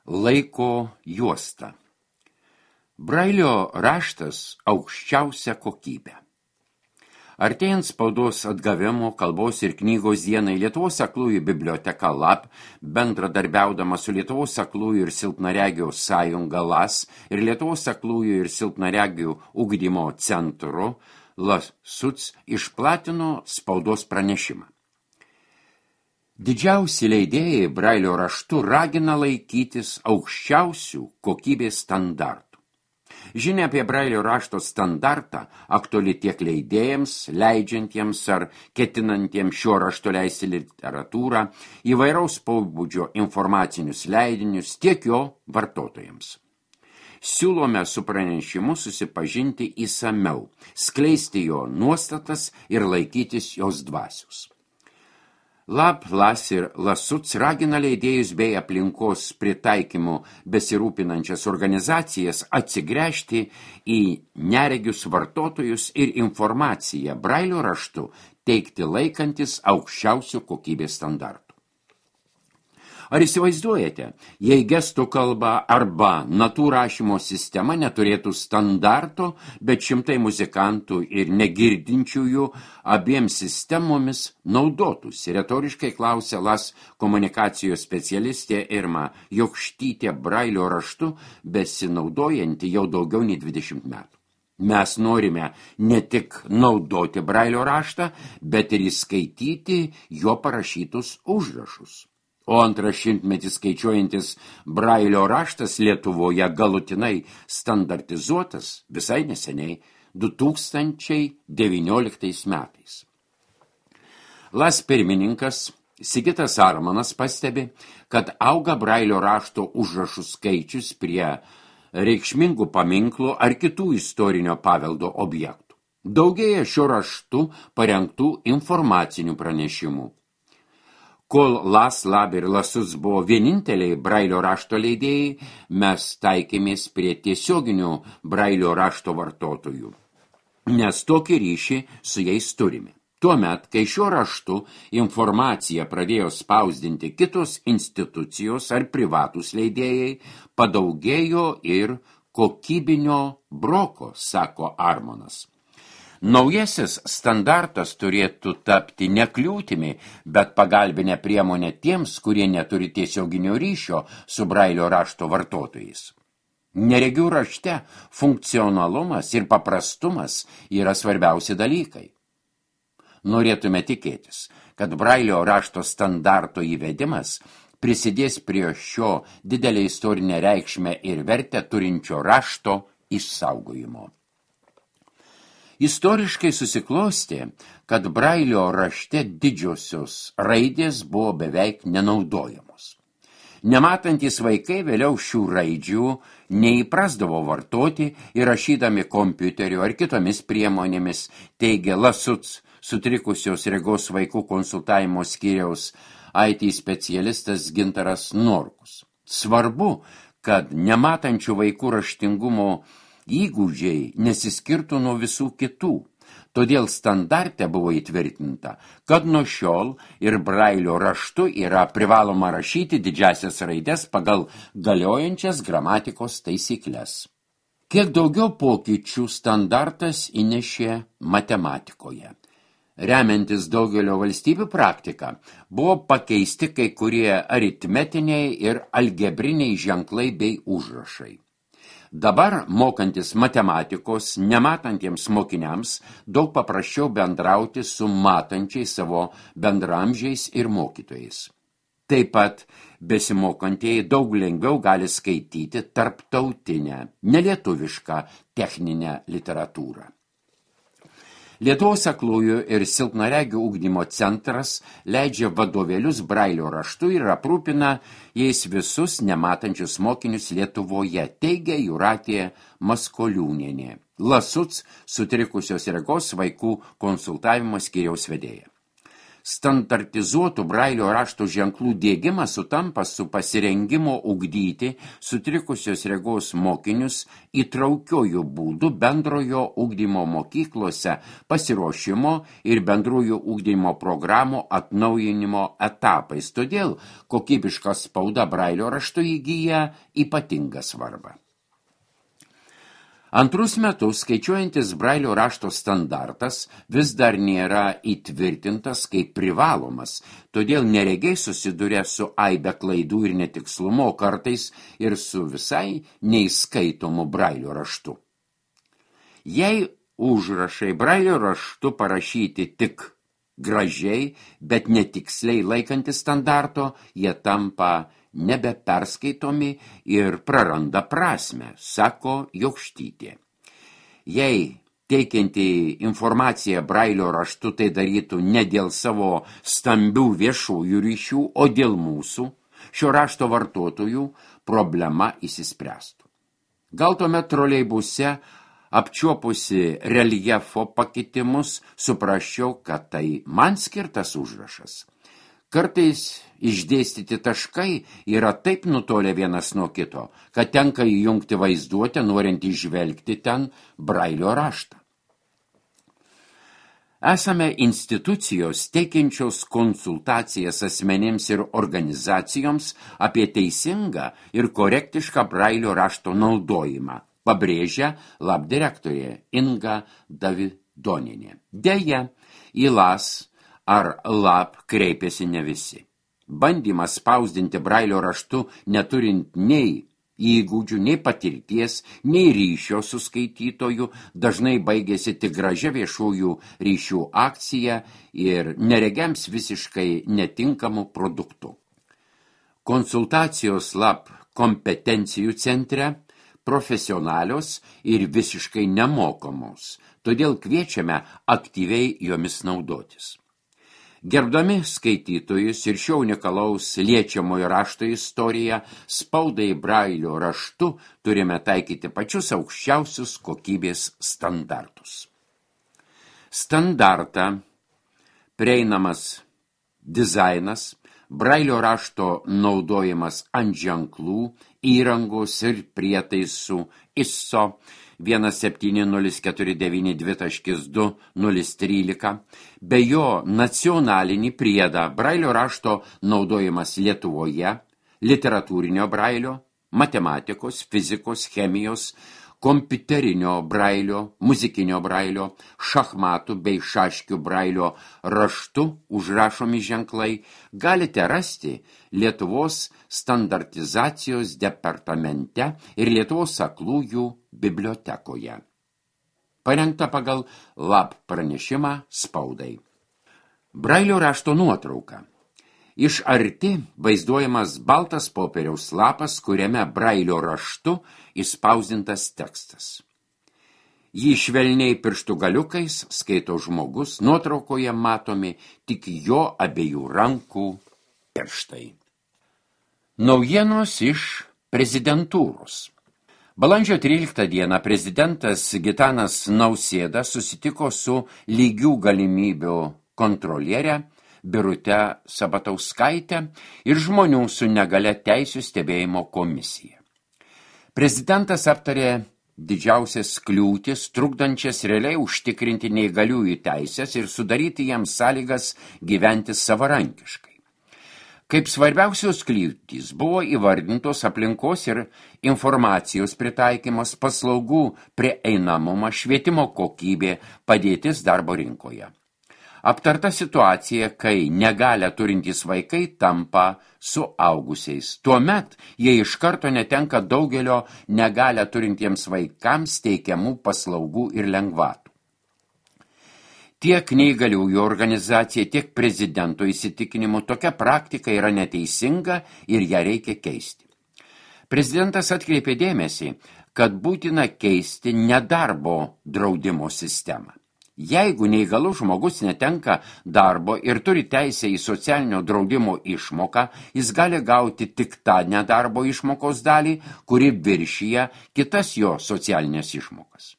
Laiko juosta. Brailio raštas aukščiausia kokybė. Artėjant spaudos atgavimo kalbos ir knygos dienai Lietuvos aklųjų biblioteka LAB, bendradarbiaudama su Lietuvos aklųjų ir silpnaregių sąjunga LAS ir Lietuvos aklųjų ir silpnaregių ugdymo centru LASUC išplatino spaudos pranešimą. Didžiausi leidėjai Brailio raštu ragina laikytis aukščiausių kokybės standartų. Žinia apie Brailio rašto standartą aktuali tiek leidėjams, leidžiantiems ar ketinantiems šio rašto leisti literatūrą, įvairaus pobūdžio informacinius leidinius, tiek jo vartotojams. Siūlome su pranešimu susipažinti įsamiau, skleisti jo nuostatas ir laikytis jos dvasios. LAB, LAS ir LASUC ragina leidėjus bei aplinkos pritaikymu besirūpinančias organizacijas atsigręžti į neregius vartotojus ir informaciją Brailio raštu teikti laikantis aukščiausių kokybės standartų. Ar įsivaizduojate, jei gestų kalba arba natų rašymo sistema neturėtų standarto, bet šimtai muzikantų ir negirdinčiųjų abiems sistemomis naudotųsi, retoriškai klausė LAS komunikacijos specialistė Irma Jokštytė Brailio raštu besinaudojanti jau daugiau nei 20 metų. Mes norime ne tik naudoti Brailio raštą, bet ir įskaityti jo parašytus užrašus. O antras šimtmetis skaičiuojantis Brailio raštas Lietuvoje galutinai standartizuotas visai neseniai 2019 metais. LAS pirmininkas Sigitas Armanas pastebi, kad auga Brailio rašto užrašų skaičius prie reikšmingų paminklų ar kitų istorinio paveldo objektų. Daugėja šio raštu parengtų informacinių pranešimų. Kol LAS, LAB ir LASUC buvo vieninteliai Brailio rašto leidėjai, mes taikėmės prie tiesioginių Brailio rašto vartotojų, nes tokį ryšį su jais turime. Tuomet, kai šiuo raštu informaciją pradėjo spausdinti kitos institucijos ar privatūs leidėjai, padaugėjo ir kokybinio broko, sako Armonas. Naujasis standartas turėtų tapti ne kliūtimi, bet pagalbinė priemonė tiems, kurie neturi tiesioginio ryšio su Brailio rašto vartotojais. Neregių rašte funkcionalumas ir paprastumas yra svarbiausi dalykai. Norėtume tikėtis, kad Brailio rašto standarto įvedimas prisidės prie šio didelę istorinę reikšmę ir vertę turinčio rašto išsaugojimo. Istoriškai susiklostė, kad Brailio rašte didžiosios raidės buvo beveik nenaudojamos. Nematantys vaikai vėliau šių raidžių neįprasdavo vartoti ir rašydami kompiuteriu ar kitomis priemonėmis, teigia LASUC sutrikusios regos vaikų konsultavimo skyriaus IT specialistas Gintaras Norkus. Svarbu, kad nematančių vaikų raštingumo įgūdžiai nesiskirtų nuo visų kitų. Todėl standarte buvo įtvirtinta, kad nuo šiol ir Brailio raštu yra privaloma rašyti didžiasias raides pagal galiojančias gramatikos taisykles. Kiek daugiau pokyčių standartas įnešė matematikoje. Remiantis daugelio valstybių praktika, buvo pakeisti kai kurie aritmetiniai ir algebriniai ženklai bei užrašai. Dabar, mokantis matematikos, nematantiems mokiniams, daug paprasčiau bendrauti su matančiais savo bendramžiais ir mokytojais. Taip pat besimokantieji daug lengviau gali skaityti tarptautinę, nelietuvišką techninę literatūrą. Lietuvos aklųjų ir silpnaregių ugdymo centras leidžia vadovėlius Brailio raštu ir aprūpina jais visus nematančius mokinius Lietuvoje, teigia Jūratė Maskoliūnienė, LASUC sutrikusios regos vaikų konsultavimo skyriaus vedėja. Standartizuotų Brailio rašto ženklų diegimas sutampa su pasirengimo ugdyti sutrikusios regos mokinius įtraukiojų būdų bendrojo ugdymo mokyklose pasiruošimo ir bendrojo ugdymo programų atnaujinimo etapais. Todėl kokybiška spauda Brailio raštu įgyja ypatingą svarbą. Antrus metus skaičiuojantis Brailio rašto standartas vis dar nėra įtvirtintas kaip privalomas, todėl neregiai susiduria su aibe klaidų ir netikslumo, kartais ir su visai neįskaitomu Brailio raštu. Jei užrašai Brailio raštu parašyti tik gražiai, bet netiksliai laikantis standarto, jie tampa nebeperskaitomi ir praranda prasmę, sako Jokštytė. Jei teikianti informaciją Brailio raštu tai darytų ne dėl savo stambių viešųjų ryšių, o dėl mūsų, šio rašto vartotojų, problema išsispręstų. Gal tuomet troleibuse apčiuopusi reljefo pakitimus, suprasčiau, kad tai man skirtas užrašas. Kartais išdėstyti taškai yra taip nutolę vienas nuo kito, kad tenka įjungti vaizduotę, norint įžvelgti ten Brailio raštą. Esame institucijos teikiančios konsultacijas asmenims ir organizacijoms apie teisingą ir korektišką Brailio rašto naudojimą, pabrėžia lab direktorė Inga Davidonienė. Deja, į LAS ar lab kreipėsi ne visi. Bandymas spausdinti Brailio raštu neturint nei įgūdžių, nei patirties, nei ryšio su skaitytoju dažnai baigėsi tik gražia viešųjų ryšių akcija ir neregiams visiškai netinkamų produktų. Konsultacijos lab kompetencijų centre profesionalios ir visiškai nemokamos, todėl kviečiame aktyviai jomis naudotis. Gerbdami skaitytojus ir šio unikalaus liečiamojo rašto istoriją, spaudai Brailio raštu turime taikyti pačius aukščiausius kokybės standartus. Standartą, prieinamas dizainas, Brailio rašto naudojimas ant ženklų, įrangos ir prietaisų ISO 17049.2.013, be jo nacionalinį priedą Brailio rašto naudojimas Lietuvoje, literatūrinio Brailio, matematikos, fizikos, chemijos, kompiuterinio Brailio, muzikinio Brailio, šachmatų bei šaškių Brailio raštu užrašomi ženklai galite rasti Lietuvos standartizacijos departamente ir Lietuvos aklųjų bibliotekoje. Parengta pagal lab pranešimą spaudai. Brailio rašto nuotrauka. Iš arti vaizduojamas baltas popieriaus lapas, kuriame Brailio raštu įspausdintas tekstas. Jį švelniai pirštų galiukais skaito žmogus, nuotraukoje matomi tik jo abiejų rankų pirštai. Naujienos iš prezidentūros. Balandžio 13 dieną prezidentas Gitanas Nausėda susitiko su lygių galimybių kontrolierė Birute Sabatauskaitė ir žmonių su negalia teisių stebėjimo komisija. Prezidentas aptarė didžiausias kliūtis, trukdančias realiai užtikrinti neįgaliųjų teisės ir sudaryti jiems sąlygas gyventi savarankiškai. Kaip svarbiausios kliūtys buvo įvardintos aplinkos ir informacijos pritaikymas, paslaugų prieinamumą, švietimo kokybė, padėtis darbo rinkoje. Aptarta situacija, kai negalią turintys vaikai tampa suaugusiais. Tuomet jie iš karto netenka daugelio negalią turintiems vaikams teikiamų paslaugų ir lengvatų. Tiek neįgaliųjų organizacija, tiek prezidento įsitikinimu tokia praktika yra neteisinga ir ją reikia keisti. Prezidentas atkreipė dėmesį, kad būtina keisti nedarbo draudimo sistemą. Jeigu neįgalus žmogus netenka darbo ir turi teisę į socialinio draudimo išmoką, jis gali gauti tik tą nedarbo išmokos dalį, kuri viršyja kitas jo socialinės išmokas.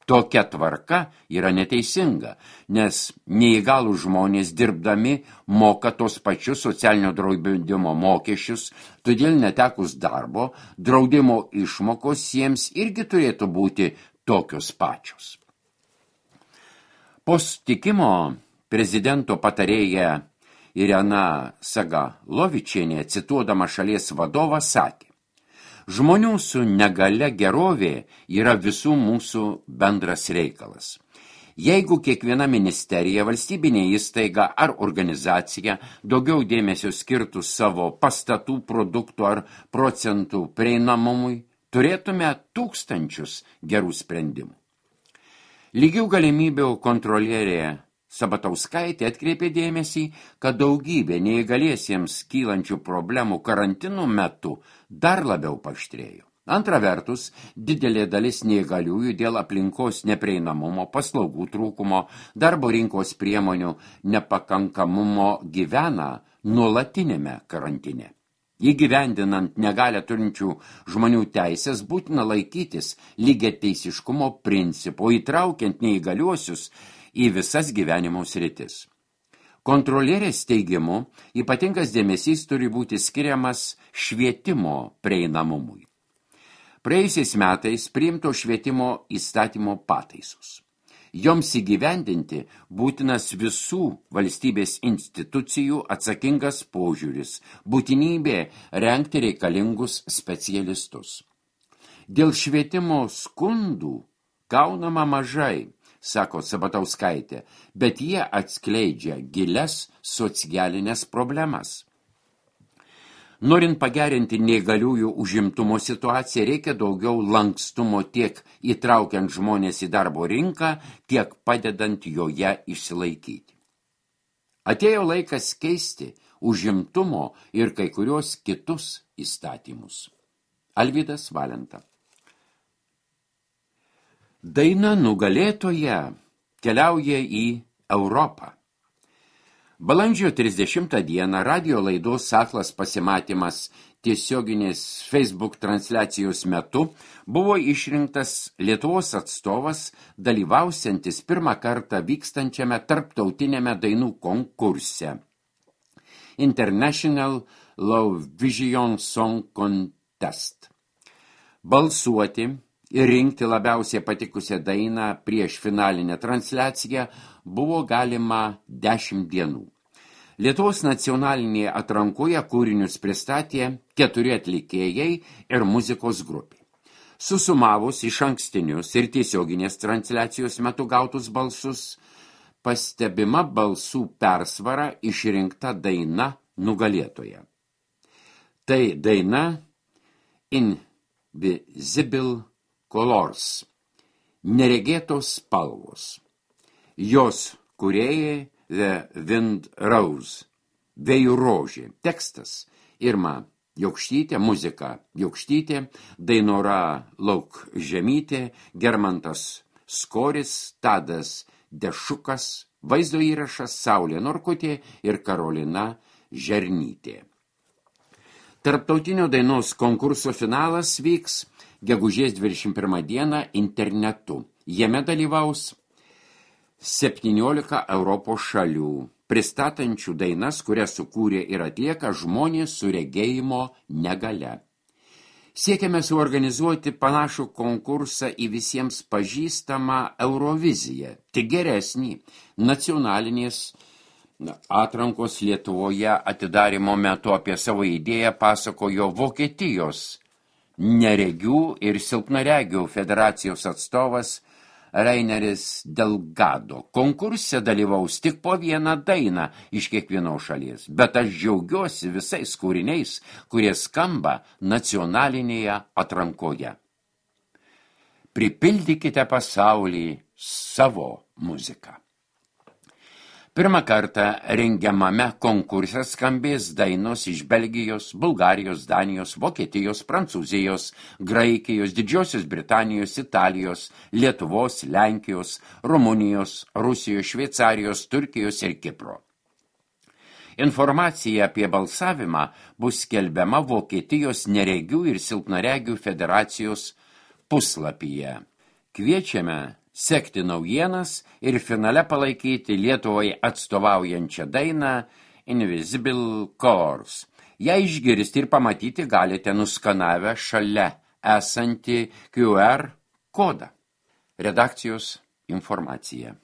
Tokia tvarka yra neteisinga, nes neįgalų žmonės dirbdami moka tos pačius socialinio draudimo mokesčius, todėl netekus darbo, draudimo išmokos jiems irgi turėtų būti tokios pačios. Po susitikimo prezidento patarėja Irena Sagalovičienė, cituodama šalies vadovą, sakė: žmonių su negale gerovė yra visų mūsų bendras reikalas. Jeigu kiekviena ministerija, valstybinė įstaiga ar organizacija daugiau dėmesio skirtų savo pastatų, produktų ar procentų prieinamumui, turėtume tūkstančius gerų sprendimų. Lygių galimybių kontrolierė Sabatauskaitė atkreipė dėmesį, kad daugybė neįgaliesiems kylančių problemų karantino metu dar labiau paaštrėjo. Antra vertus, didelė dalis neįgaliųjų dėl aplinkos neprieinamumo, paslaugų trūkumo, darbo rinkos priemonių nepakankamumo gyvena nuolatinėme karantine. Įgyvendinant negalią turinčių žmonių teisės būtina laikytis lygiateisiškumo principo, įtraukiant neįgaliuosius į visas gyvenimo sritis. Kontrolierės teigimu, ypatingas dėmesys turi būti skiriamas švietimo prieinamumui. Praėjusiais metais priimto švietimo įstatymo pataisos. Joms įgyvendinti būtinas visų valstybės institucijų atsakingas požiūris, būtinybė rengti reikalingus specialistus. Dėl švietimo skundų gaunama mažai, sako Sabatauskaitė, bet jie atskleidžia gilias socialinės problemas. Norint pagerinti neįgaliųjų užimtumo situaciją, reikia daugiau lankstumo tiek įtraukiant žmonės į darbo rinką, tiek padedant joje išsilaikyti. Atėjo laikas keisti užimtumo ir kai kurios kitus įstatymus. Alvydas Valenta. Daina nugalėtoja keliauja į Europą. Balandžio 30 dieną radijo laidos Aklas pasimatymas tiesioginės Facebook transliacijos metu buvo išrinktas Lietuvos atstovas, dalyvausiantis pirmą kartą vykstančiame tarptautiniame dainų konkurse International Low Vision Song Contest. Balsuoti ir rinkti labiausiai patikusią dainą prieš finalinę transliaciją buvo galima 10 dienų. Lietuvos nacionalinėje atrankoje kūrinius pristatė 4 atlikėjai ir muzikos grupė. Susumavus iš ankstinius ir tiesioginės transliacijos metu gautus balsus, pastebima balsų persvara išrinkta daina nugalėtoja. Tai daina Invisible Colors, neregėtos spalvos. Jos kūrėjai The Wind Rose, vėjų rožė. Tekstas Irma Jokštytė, muzika Jokštytė, Dainora Laukžemytė, Germantas Skoris, Tadas Dešukas, vaizdo įrašas Saulė Norkutė ir Karolina Žernytė. Tarptautinio dainos konkurso finalas vyks gegužės 21 dieną internetu. Jame dalyvaus 17 Europos šalių, pristatančių dainas, kurias sukūrė ir atlieka žmonės su regėjimo negale. Siekiame suorganizuoti panašų konkursą į visiems pažįstamą Euroviziją, tik geresnį. Nacionalinės atrankos Lietuvoje atidarymo metu apie savo idėją pasakojo Vokietijos neregių ir silpnaregių federacijos atstovas Reineris Delgado. Konkurse dalyvaus tik po vieną dainą iš kiekvienos šalies, bet aš džiaugiuosi visais kūriniais, kurie skamba nacionalinėje atrankoje. Pripildykite pasaulį savo muziką. Pirmą kartą rengiamame konkurse skambės dainos iš Belgijos, Bulgarijos, Danijos, Vokietijos, Prancūzijos, Graikijos, Didžiosios Britanijos, Italijos, Lietuvos, Lenkijos, Rumunijos, Rusijos, Šveicarijos, Turkijos ir Kipro. Informacija apie balsavimą bus skelbiama Vokietijos neregių ir silpnaregių federacijos puslapyje. Kviečiame sekti naujienas ir finale palaikyti Lietuvai atstovaujančią dainą Invisible Colors. Ją išgirsti ir pamatyti galite nuskanavę šalia esantį QR kodą. Redakcijos informacija.